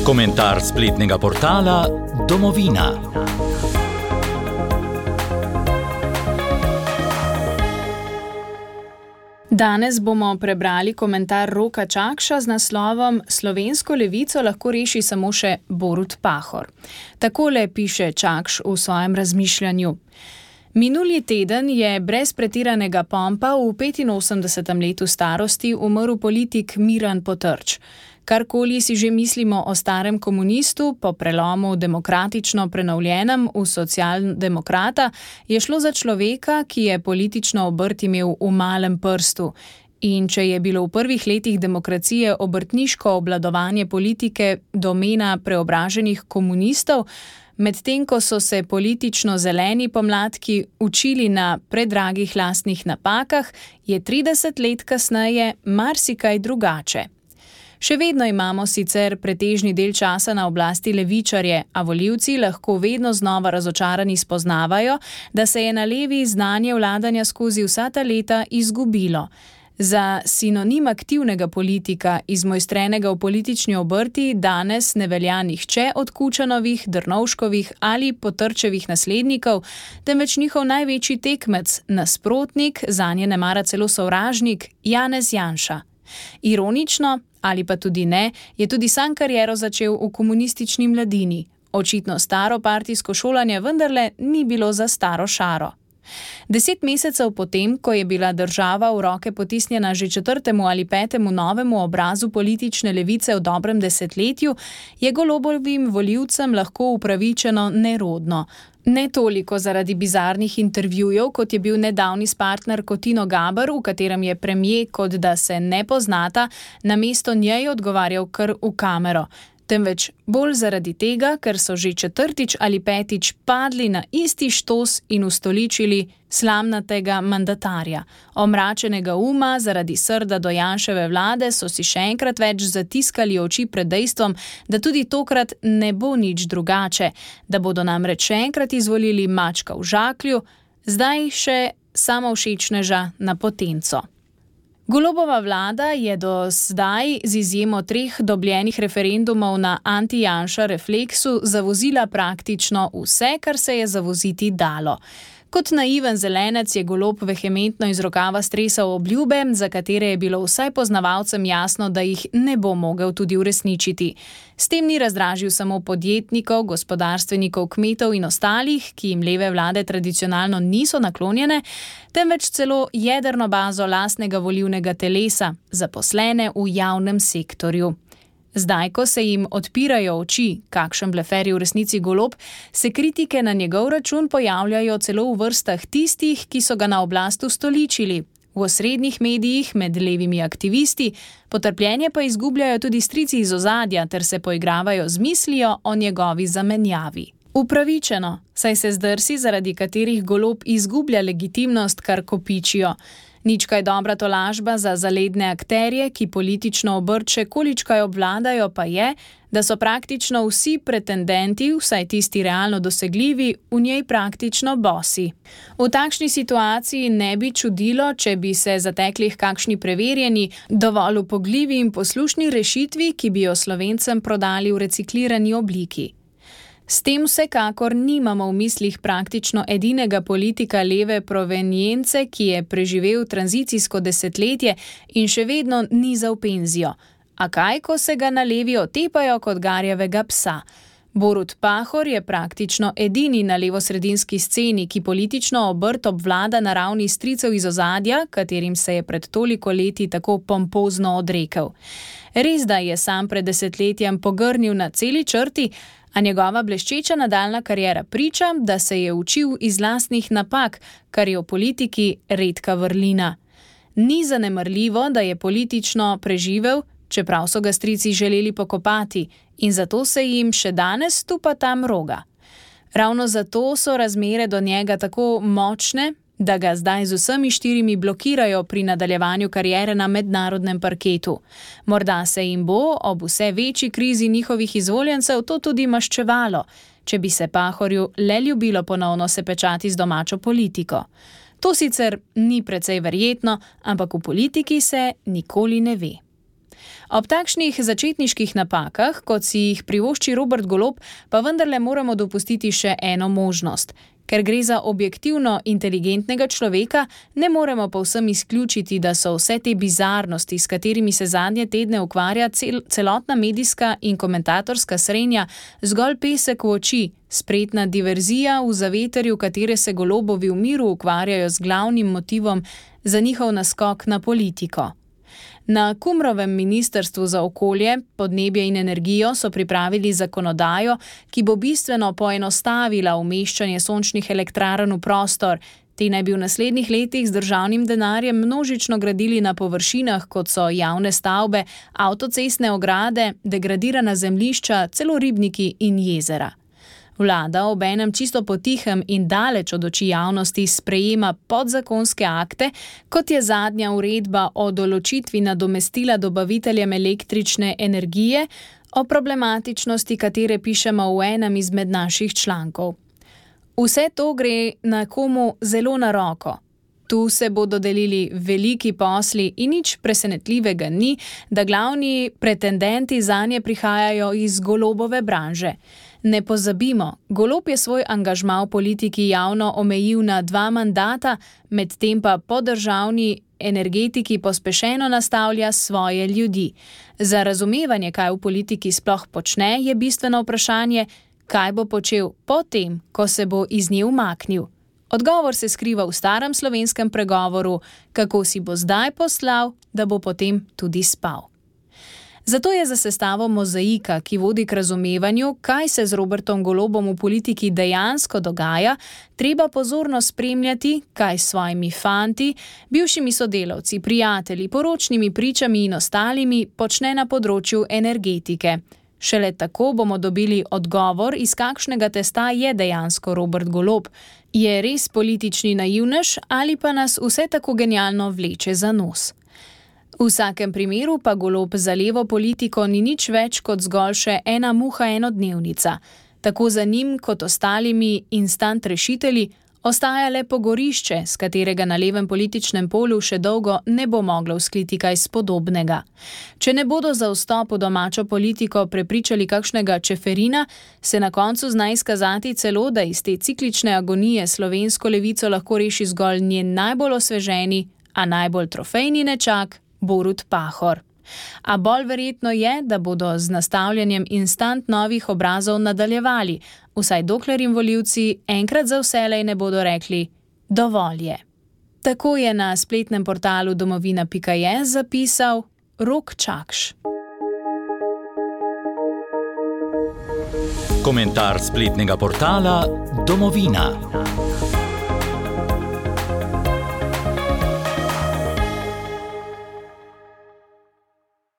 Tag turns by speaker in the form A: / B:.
A: Komentar spletnega portala Domovina.
B: Danes bomo prebrali komentar Roka Čakša z naslovom Slovensko levico lahko reši samo še Borut Pahor. Takole piše Čakš v svojem razmišljanju. Minuli teden je brez pretiranega pompa v 85. letu starosti umrl politik Miran Potrč. Karkoli si že mislimo o starem komunistu, po prelomu demokratično prenovljenem v socialdemokrata, je šlo za človeka, ki je politično obrt imel v malem prstu. In če je bilo v prvih letih demokracije obrtniško obvladovanje politike domena preobraženih komunistov, medtem ko so se politično zeleni pomladki učili na predragih lastnih napakah, je 30 let kasneje marsikaj drugače. Še vedno imamo sicer pretežni del časa na oblasti levičarje, a volivci lahko vedno znova razočarani spoznavajo, da se je na levi znanje vladanja skozi vsa ta leta izgubilo. Za sinonim aktivnega politika, izmojstrenega v politični obrti, danes ne velja nihče od Kučanovih, Drnovškovih ali Potrčevih naslednikov, temveč njihov največji tekmec, nasprotnik, zanje nemara celo sovražnik, Janez Janša. Ironično, ali pa tudi ne, je tudi sam kariero začel v komunistični mladini. Očitno staro partijsko šolanje vendarle ni bilo za staro šaro. 10 mesecev potem, ko je bila država v roke potisnjena že 4. ali 5. novemu obrazu politične levice v dobrem desetletju, je Golobovim volivcem lahko upravičeno nerodno. Ne toliko zaradi bizarnih intervjujev, kot je bil nedavni s partnerko Tino Gaber, v katerem je premier, kot da se ne poznata, namesto njej odgovarjal kar v kamero. Temveč bolj zaradi tega, ker so že 4. ali 5. padli na isti štos in ustoličili slamnatega mandatarja. Omračenega uma zaradi srda do Janševe vlade so si še enkrat več zatiskali oči pred dejstvom, da tudi tokrat ne bo nič drugače, da bodo namreč še enkrat izvolili mačka v žaklju, zdaj še samovšečneža na potenco. Golobova vlada je do zdaj z izjemo 3 dobljenih referendumov na anti-Janša refleksu zavozila praktično vse, kar se je zavoziti dalo. Kot naiven zelenec je Golob vehementno iz rokava stresal obljube, za katere je bilo vsaj poznavalcem jasno, da jih ne bo mogel tudi uresničiti. S tem ni razdražil samo podjetnikov, gospodarstvenikov, kmetov in ostalih, ki jim leve vlade tradicionalno niso naklonjene, temveč celo jedrno bazo lastnega volilnega telesa, zaposlene v javnem sektorju. Zdaj, ko se jim odpirajo oči, kakšen blefer je v resnici Golob, se kritike na njegov račun pojavljajo celo v vrstah tistih, ki so ga na oblast ustoličili. V osrednjih medijih med levimi aktivisti, potrpljenje pa izgubljajo tudi strici iz ozadja ter se poigravajo z mislijo o njegovi zamenjavi. Upravičeno, saj se zdrsi, zaradi katerih Golob izgublja legitimnost, kar kopičijo. Nič kaj dobra tolažba za zaledne akterje, ki politično obrt še količkaj obvladajo, pa je, da so praktično vsi pretendenti, vsaj tisti realno dosegljivi, v njej praktično bosi. V takšni situaciji ne bi čudilo, če bi se zatekli h kakšni preverjeni, dovolj upogljivi in poslušni rešitvi, ki bi jo Slovencem prodali v reciklirani obliki. S tem vsekakor nimamo v mislih praktično edinega politika leve provenience, ki je preživel tranzicijsko desetletje in še vedno niza v penzijo. A kaj, ko se ga na levi otepajo kot garjavega psa? Borut Pahor je praktično edini na levosredinski sceni, ki politično obrt obvlada na ravni stricev iz ozadja, katerim se je pred toliko leti tako pompozno odrekel. Res da je sam pred desetletjem pogrnil na celi črti, a njegova bleščeča nadaljna kariera priča, da se je učil iz lastnih napak, kar je v politiki redka vrlina. Ni zanemarljivo, da je politično preživel, čeprav so ga strici želeli pokopati, in zato se jim še danes tupa tam roga. Ravno zato so razmere do njega tako močne, da ga zdaj z vsemi 4 blokirajo pri nadaljevanju kariere na mednarodnem parketu. Morda se jim bo ob vse večji krizi njihovih izvoljencev to tudi maščevalo, če bi se Pahorju le ljubilo ponovno se pečati z domačo politiko. To sicer ni precej verjetno, ampak v politiki se nikoli ne ve. Ob takšnih začetniških napakah, kot si jih privošči Robert Golob, pa vendarle moramo dopustiti še eno možnost. Ker gre za objektivno inteligentnega človeka, ne moremo povsem izključiti, da so vse te bizarnosti, s katerimi se zadnje tedne ukvarja celotna medijska in komentatorska srenja, zgolj pesek v oči, spretna diverzija v zavetrju, katere se Golobovi v miru ukvarjajo z glavnim motivom za njihov naskok na politiko. Na Kumrovem ministrstvu za okolje, podnebje in energijo so pripravili zakonodajo, ki bo bistveno poenostavila umeščanje sončnih elektrarn v prostor. Te naj bi v naslednjih letih z državnim denarjem množično gradili na površinah, kot so javne stavbe, avtocestne ograde, degradirana zemljišča, celo ribniki in jezera. Vlada obenem čisto potihem in daleč od oči javnosti sprejema podzakonske akte, kot je zadnja uredba o določitvi nadomestila dobaviteljem električne energije, o problematičnosti katere pišemo v enem izmed naših člankov. Vse to gre nekomu zelo na roko. Tu se bodo delili veliki posli in nič presenetljivega ni, da glavni pretendenti zanje prihajajo iz Golobove branže. Ne pozabimo, Golob je svoj angažma v politiki javno omejil na 2 mandata, medtem pa po državni energetiki pospešeno nastavlja svoje ljudi. Za razumevanje, kaj v politiki sploh počne, je bistveno vprašanje, kaj bo počel potem, ko se bo iz nje umaknil. Odgovor se skriva v starem slovenskem pregovoru, kako si bo zdaj poslal, da bo potem tudi spal. Zato je za sestavo mozaika, ki vodi k razumevanju, kaj se z Robertom Golobom v politiki dejansko dogaja, treba pozorno spremljati, kaj s svojimi fanti, bivšimi sodelavci, prijatelji, poročnimi pričami in ostalimi počne na področju energetike. Šele tako bomo dobili odgovor, iz kakšnega testa je dejansko Robert Golob. Je res politični naivnež ali pa nas vse tako genialno vleče za nos? V vsakem primeru pa Golob za levo politiko ni nič več kot zgolj še ena muha enodnevnica. Tako za njim kot ostalimi instant rešitelji ostaja le pogorišče, s katerega na levem političnem polu še dolgo ne bo moglo vzkliti kaj spodobnega. Če ne bodo za vstop v domačo politiko prepričali kakšnega Čeferina, se na koncu zna izkazati celo, da iz te ciklične agonije slovensko levico lahko reši zgolj njen najbolj osveženi, a najbolj trofejni nečak, Borut Pahor. A bolj verjetno je, da bodo z nastavljanjem instant novih obrazov nadaljevali, vsaj dokler jim volivci enkrat za vselej ne bodo rekli dovolj je. Tako je na spletnem portalu domovina.je zapisal Rok Čakš.
A: Komentar spletnega portala Domovina.